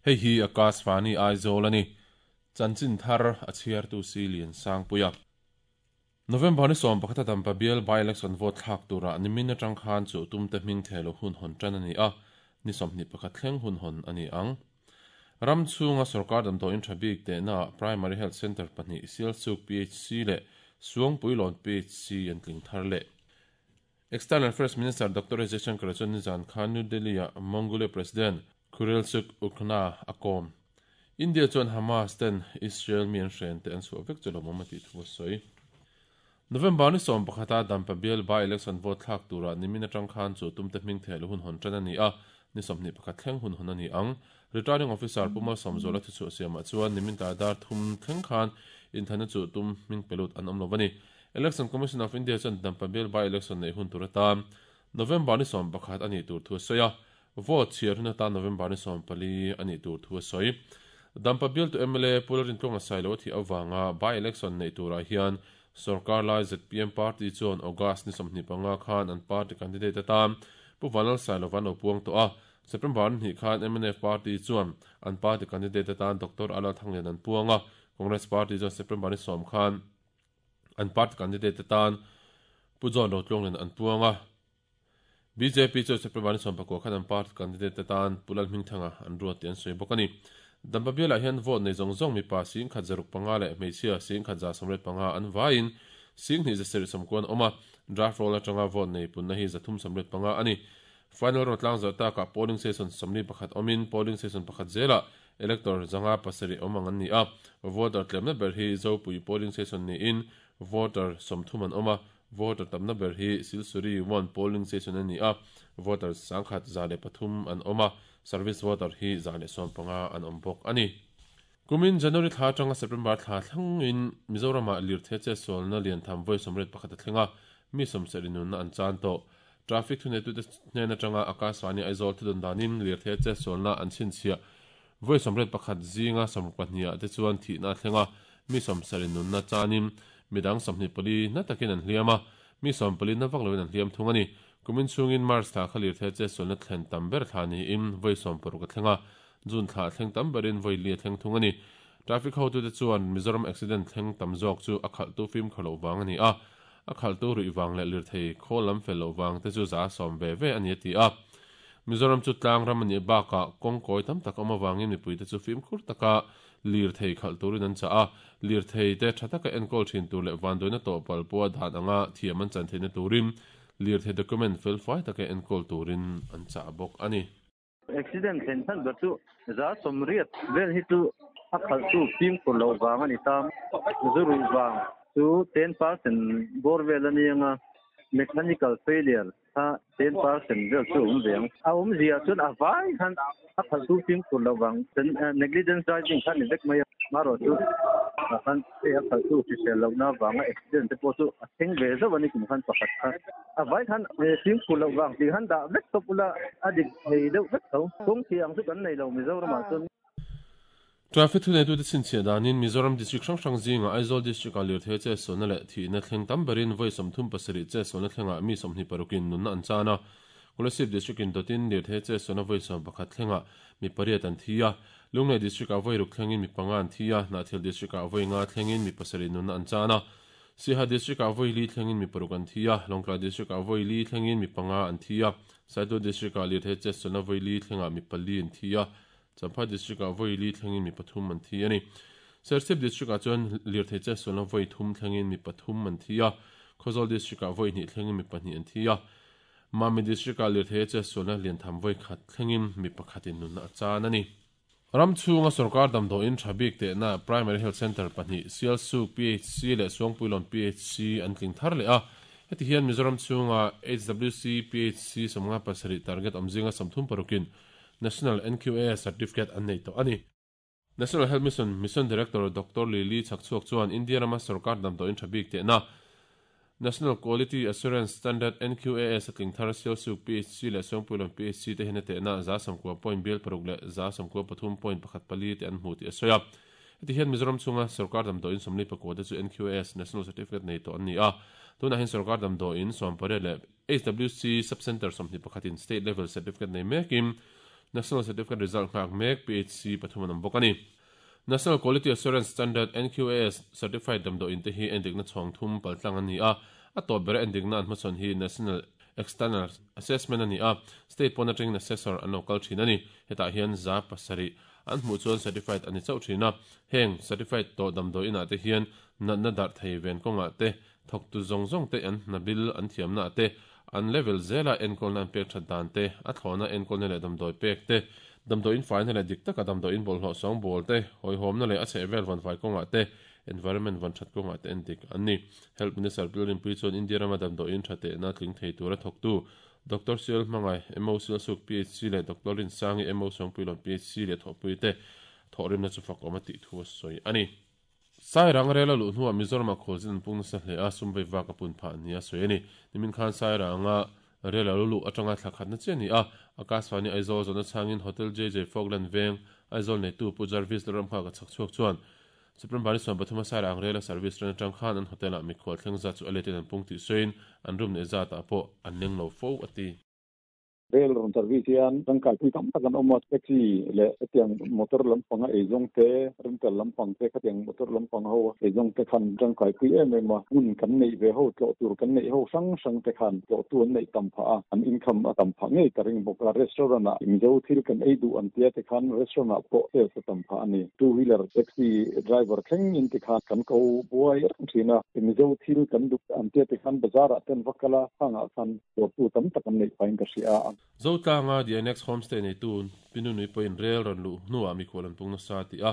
Hei hi Akashvani Aizawl a ni. Chanchin thar a chhiartu si Lian Sangpuia. November ni 11 a Dampa bial by-election vote thlak tura nimin atang khan chu tumte hming theh lo hun hawn tan a ni a, ni 21 thleng hun hawn a ni ang. Ram chhunga sorkar damdawiin tha bik tehnaah Primary Health Centre pahnih Sialsuk PHC leh Suangpuilawn PHC an tling thar leh. External Affairs Minister Doctor S Jaishankar chuan nizan khan New Delhi-ah Mongolia President Khurelsukh Ukhnaa a kawm. India chuan Hamas ten Israel mi an hren te an chhuah vek chu lawmawm a tih thu a sawi. November ni 11 a Dampa bial by-election vote thlak turah nimin atang khan chu tumte hming theh lo hun hawn tan a ni a, ni 21 thleng hun hawn a ni ang. Returning Officer Pu Malsawmzuala thuchhuah siamah chuan nimin tlai dar thum thleng khan inthlanna chu tum hming pe lut an awm lo a ni. Election Commission of India chuan Dampa bial by-election neih hun tur atan November ni 11 a nih tur thu a sawi a, vote chhiar hun atan November ni 14 a nih tur thu a sawi. Dampa bialtu mla Pu Lalrintluanga Sailo a thih avanga by-election neih turah hian sorkar lai zpm party chuan August ni 25 khan an party candidate atan Pu Vanlal Sailova an lo puang tawh a, September ni hnih khan mnf party chuan an party candidate atan Doctor Alal Thanglian an puang a, Congress party chuan September ni 10 khan an party candidate atan Pu John Rotluanglen an puang a, bjp chuan September ni 19 khan an party candidate atan Pu Lalhmingthanga an ruat tih an sawi bawk a ni. Dampa bialah hian vote nei zawng zawng mipa 1065 leh hmeichhia 1185 an vaiin 2740 an awm a, draft roll atanga vote nei punna hi 385 a ni. Final roll tlang zawh takah polling station 41 awmin polling station pakhat zelah Elector 507 awm ang an ni a, voter tlemna ber hi Zopui polling station niin voter 30 an awm a, voter tamna ber hi Silsuri 1 polling station a ni a, voter 1103 an awm a, service voter hi 115 an awm bawk a ni. Kumin January thla atanga September thla thlengin Mizoramah lirthei chetsualna lian tham vawi 81 a thleng a, mi 70 nunna an chan tawh. Traffic thuneitute hnen atanga Akashvani Aizawl thudawn danin lirthei chetsualna an chhinchhiah vawi 81 zinga 62 ah te chuan thihna a thleng a, mi 70 nunna chanin midang 24 na takin an hliam a, mi 14 na vak loin an hliam thung a ni. Kumin chhungin March thla kha lirthei chetsualna thlen tam ber thla niin vawi 60 a thleng a, June thla thleng tam berin vawi li a thleng thung a ni. Traffic hotute chuan Mizoram accident thleng tam zawk chu a khalhtu fimkhur loh vang a ni a, a khalhtu ruih vang leh lirthei khawl lam fel loh vang te chu za sawm ve ve a ni a ti a. Mizoram chu tlang ram a nih bakah kawng kawi tam tak awm avangin mipuite chu fimkhur taka lirthei khalh turin an chah a, lirthei te tha taka enkawl thin tur leh vanduaina tawh pal pawha dan anga thiam an chan theihna turin lirthei document felfai taka enkawl turin an chah bawk a ni. Accident thlen chhan ber chu 80% vel hi chu a khalhtu fimkhur loh vang a ni ta. Zu ruih vang chu 10% bawr vel a ni ang a, mechanical failure kha 10% vel chu a awm ve ang. A awmzia chuan a vai khan a khalhtu fimkhur loh vang negligence driving kha a ni vek mai a. Amaherawhchu tah khan hei a khalhtu hrisel lohna vanga accident te pawh chu a thleng ve zauh a ni kum khan pakhat kha. A vai khan fimkhur loh vang tih khan dah vek tawp ula a dik thei deuh vek tho. Kawng thih ang chu kan nei lo Mizoramah chuan. Traffic thuneitute chhinchhiah danin Mizoram District hrang hrang zingah Aizawl District-ah lirthei chetsualna leh thihna thleng tam berin vawi 37 chetsualna thlengah mi 26 in nunna an chan a. Kolasib District-in dawtin lirthei chetsualna vawi 11 thlengah mi pariat an thi a. Lunglei District-ah vawi ruk thlengin mi panga an thi a, Hnahthial District-ah vawi nga thlengin mi pasarih nunna an chan a. Siaha District-ah vawi li thlengin mi paruk an thi a, Lawngtlai District-ah vawi li thlengin mi panga an thi a, Saitual District-ah lirthei chetsualna vawi li thlengah mi pali an thi a, Champhai District-ah vawi li thlengin mi pathum an thi a ni. Serchhip District-ah chuan lirthei chetsualna vawi thum thlengin mi pathum an thi a, Khawzawl District-ah vawi hnih thlengin mi pahnih an thi a, Mami District-ah lirthei chetsualna liantham vawi khat thlengin mi pakhatin nunna a chan a ni. Ram chhunga sorkar damdawiin tha bik tehna Primary Health Centre pahnih Sialsuk PHC leh Suangpuilawn PHC an tling thar leh a. Heti hian Mizoram chhunga HWC PHC 57 target awm zinga 36 in National NQAS Certificate an nei tawh a ni. National Health Mission Mission Director Doctor Lily Chhakchhuak chuan India rama sorkar damdawiin tha bik tehna National Quality Assurance Standard, NQAS, a tling thar Sialsuk PHC leh Suangpuilawn PHC te hian a tehna 90 point bial paruk leh 93.14 te an hmu tih a sawi a. Heti hian Mizoram chhunga sorkar damdawiin 44 te chu NQAS National Certificate nei tawh an ni a. Tunah hian sorkar damdawiin 18 leh HWC Sub-Centre 21 in State Level Certificate nei mekin National Certificate result nghak mek PHC pathum an awm bawk a ni. National Quality Assurance Standard, NQAS, certified damdawiin te hi endikna chhawng thum paltlang an ni a, a tawp bera endikna an hmachhawn hi National External Assessment a ni a, state pawn atangin assessor an lo kal thin a ni. Hetah hian 7% an hmuh chuan certified a ni chauh thin a, heng certified tawh damdawiin ah te hian natna darh thei ven kawngah te, thawktu zawng zawng te an hna bil an thiamna ah te, an level zela enkawlna an pek that dan te, a thlawhna enkawlna leh damdawi pek te, damdawiin faina leh dik taka damdawiin bawlhhlawh sawngbawl te, hawihhawmna leh a chhehvel vawnfai kawngah te, environment vawn that kawngah te endik an ni. Health Minister Bill Rinpui chuan India rama damdawiin tha tehna tling thei tura thawktu Doctor Sial Hmangai, MO Sialsuk PHC leh Doctor Rinsangi, MO Sawngpuilawn PHC leh thawhpuite thawhrimna chu fakawm a tih thu a sawi a ni. Sairang rel a luh hnuah Mizoramah khualzin an pung nasa hle a, sum vei vak a pun phah nia sawi a ni. Nimin khan Sairanga rel a lo luh atanga thla khatna chiah a ni a, Akashvani Aizawl zawhna chhangin Hotel JJ Falkland Veng, Aizawl neitu Pu Jarvis Lalramnghaka chhak chhuak chuan September ni 13 a Sairang rel a service ran atang khan an hotel ah mikhual thleng zat chu a letin an pung tih sawiin an room neih zatah pawh an leng lo fo a ti. Rail rawn service hian tangkaipui tam tak an awm a, taxi leh hetiang motor lampanga eizawng te, rental lampang te, khatiang motor lampang ho eizawng te khan tangkaipui em em a, hmun kan neih ve ho, tlawh tur kan neih ho hrang hrang te khan tlawhtu an neih tam phah a, an income a tam phah ngei ka ring bawk a, restaurant ah Mizo thil kan ei duh an tia te khan restaurant ah pawh sales a tam phah a ni. Two wheeler taxi driver thleng in tikhan kan ko buai reng thin a, Mizo thil kan duh an tia tikhan bazar ah ten va kal a, khangah khan Dawrtu tam tak an neih phahin ka hria a. Zotlanga The Annex Homestay neitu Pi Nunui pawhin rel rawn luh hnuah mikhual an pung nasa tih a,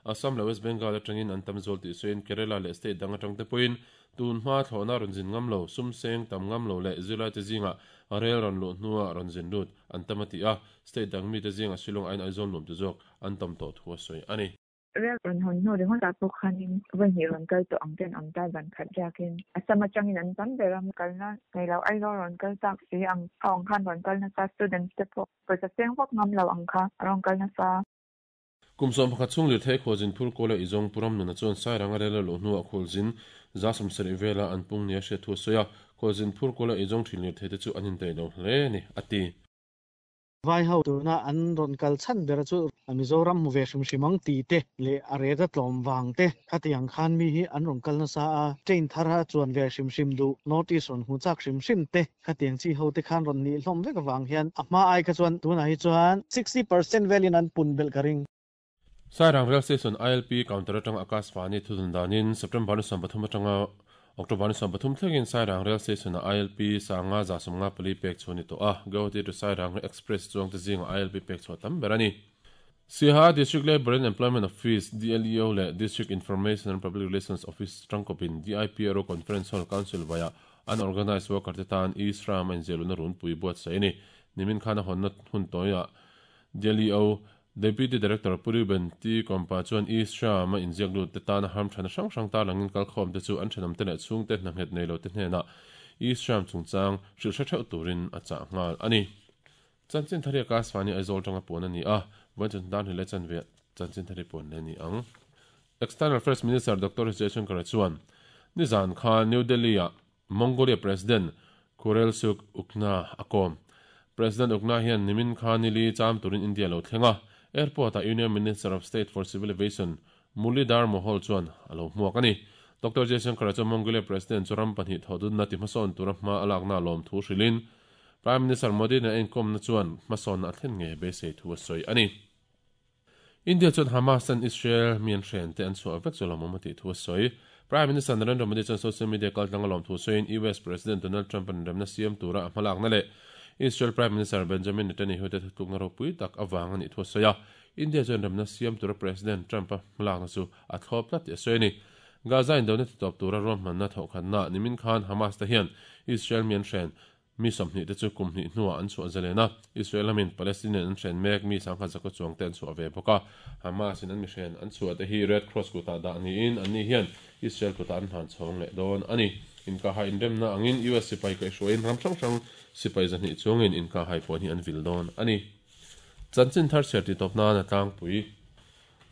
Assam leh West Bengal atangin an tam zual tih sawiin Kerala leh state dang atang te pawhin tun hma thlawhna rawn zin ngam lo, sum seng tam ngam lo leh zirlaite zingah rel rawn luh hnuah rawn zin lut an tam a ti a, state dang mite zingah Shillong aiin Aizawl nuam te zawk an tam tawh thu a sawi a ni. Rel rawn hawn hnu ringawt ah pawh khanin vawi hnih rawn kal tawh ang ten awm ta zan khat riakin Assam atangin an tam ber a, kalna nei lo Aizawl rawn kal chak si ang ho ang khan rawn kal nasa, students te pawh pawisa seng vak ngam lo ang kha a rawn kal nasa. Kum 11 chhung lirthei khualzin phur kawl a izawng Pu Ramnuna chuan Sairanga rel a luh hnuah khualzin 70% vela an pung nia hriat thu a sawi a, khualzin phur kawl a izawng thin lirthei te chu an indaih lo hle a ni, a ti. Vai ho tuna an rawn kal chhan ber chu Mizoram hmu ve hrim hrim ang tih te leh a ret a tlawm vang te khatiang khan mi hi an rawn kal nasa a, train thar a chuan ve hrim hrim duh, North East rawn hmu chak hrim hrim te khatiang chi ho te khan rawn nih hlawm vek avang hian a hma ai kha chuan tunah hi chuan 60% velin an pun belh ka ring. Sairang Rail Station ILP counter atanga Akashvani thudun danin September ni 13 atanga October ni 13 thlengin Sairang Rail Station-a ILP sanga 154 pek chhuah a ni tawh a, Guwahati to Sairang Express chuangte zinga ILP pek chhuah tam ber a ni. Siaha District Labour and Employment Office, DLEO, leh District Information and Public Relations Office tangkawpin DIPRO Conference Hall Council vaiah Unorganised Worker te tan e-Shram a inziahluna runpui buatsaih a ni. Nimin khan a hawnna hun tawiah DLEO Deputy Director Pu Reuben T. Kompa chuan East Sham a inziak lut te tana harmthana hrang hrang tarlangin kalkhawm te chu an thenawm te leh chhungte hna nghet nei lo te hnenah East Sham chungchang hrilh hre theuh turin a chah nghal a ni. Chanchin Thari Akashvani Aizawl tanga puan a ni a, vawiin chawhnu tan hlei leh chanve Chanchin Thari puan leh a ni ang. External Affairs Minister Doctor S. Jaishankar chuan nizan khan New Delhi-ah Mongolia President Khurelsukh Ukna a kawm. President Ukna hian nimin kha nili cham turin India lo thleng a, airport-ah Union Minister of State for Civil Aviation Murlidhar Mohol chuan a lo hmuak a ni. Doctor Jaishankar chuan Mongolia President chu ram pahnih thawhdutna ti hmasawn tura hma a lakna lawm thu hrilhin Prime Minister Modi nen a inkawmna chuan hmasawnna a thlen ngei beisei thu a sawi a ni. India chuan Hamas ten Israel mi an hren te an chhuah vek chu lawmawm a tih thu a sawi. Prime Minister Narendra Modi chuan social media kaltlanga lawm thu sawiin US President Donald Trump an remna siam tura a hmalakna leh Israel Prime Minister Benjamin Netanyahu te thutlukna ropui tak avang a nih thu a sawi a. India chuan remna siam tura President Trump a hmalakna chu a thlawp tlat tih a sawi a ni. Gaza indona titawp tura ruahmanna thawhkhatna nimin khan Hamas te hian Israel mi an hren Mi 20 te chu kum hnih hnuah an chhuah zalen a, Israel lamin Palestinian an hren mek mi sangkhat zakua chuang te an chhuah ve bawk a. Hamas in an mi hren an chhuah te hi Red Cross kutah dah niin anni hian Israel kutah an hlan chhawng leh dawn a ni. Inkahhai inremna angin US sipai kaihhruaiin ram hrang hrang sipai 200 chuangin inkahhai puan hi an vil dawn a ni. Chanchin thar chhiar tih tawp nan a tlangpui.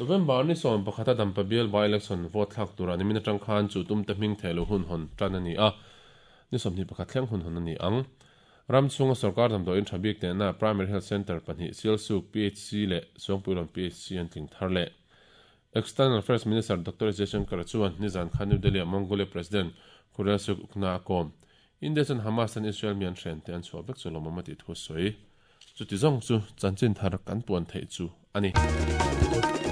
November ni 11 a Dampa bial by-election vote thlak turah nimin atang khan chu tumte hming theh lo hun hawn tan a ni a. Ni 21 thleng hun hawn a ni ang. Ram chhunga sorkar damdawiin tha bik nena Primary Health Centre pahnih Sialsuk PHC leh Suangpuilawn PHC an tling thar leh. External Affairs Minister Doctor S Jaishankar chuan nizan khan New Delhi-ah Mongolia President Khurelsukh Ukna a kawm. India chuan Hamas tan Israel mi an hren te an chhuah vek chu lawmawm a tih thu a sawi. Chuti zawng chu chanchin thar kan puan theih chu a ni.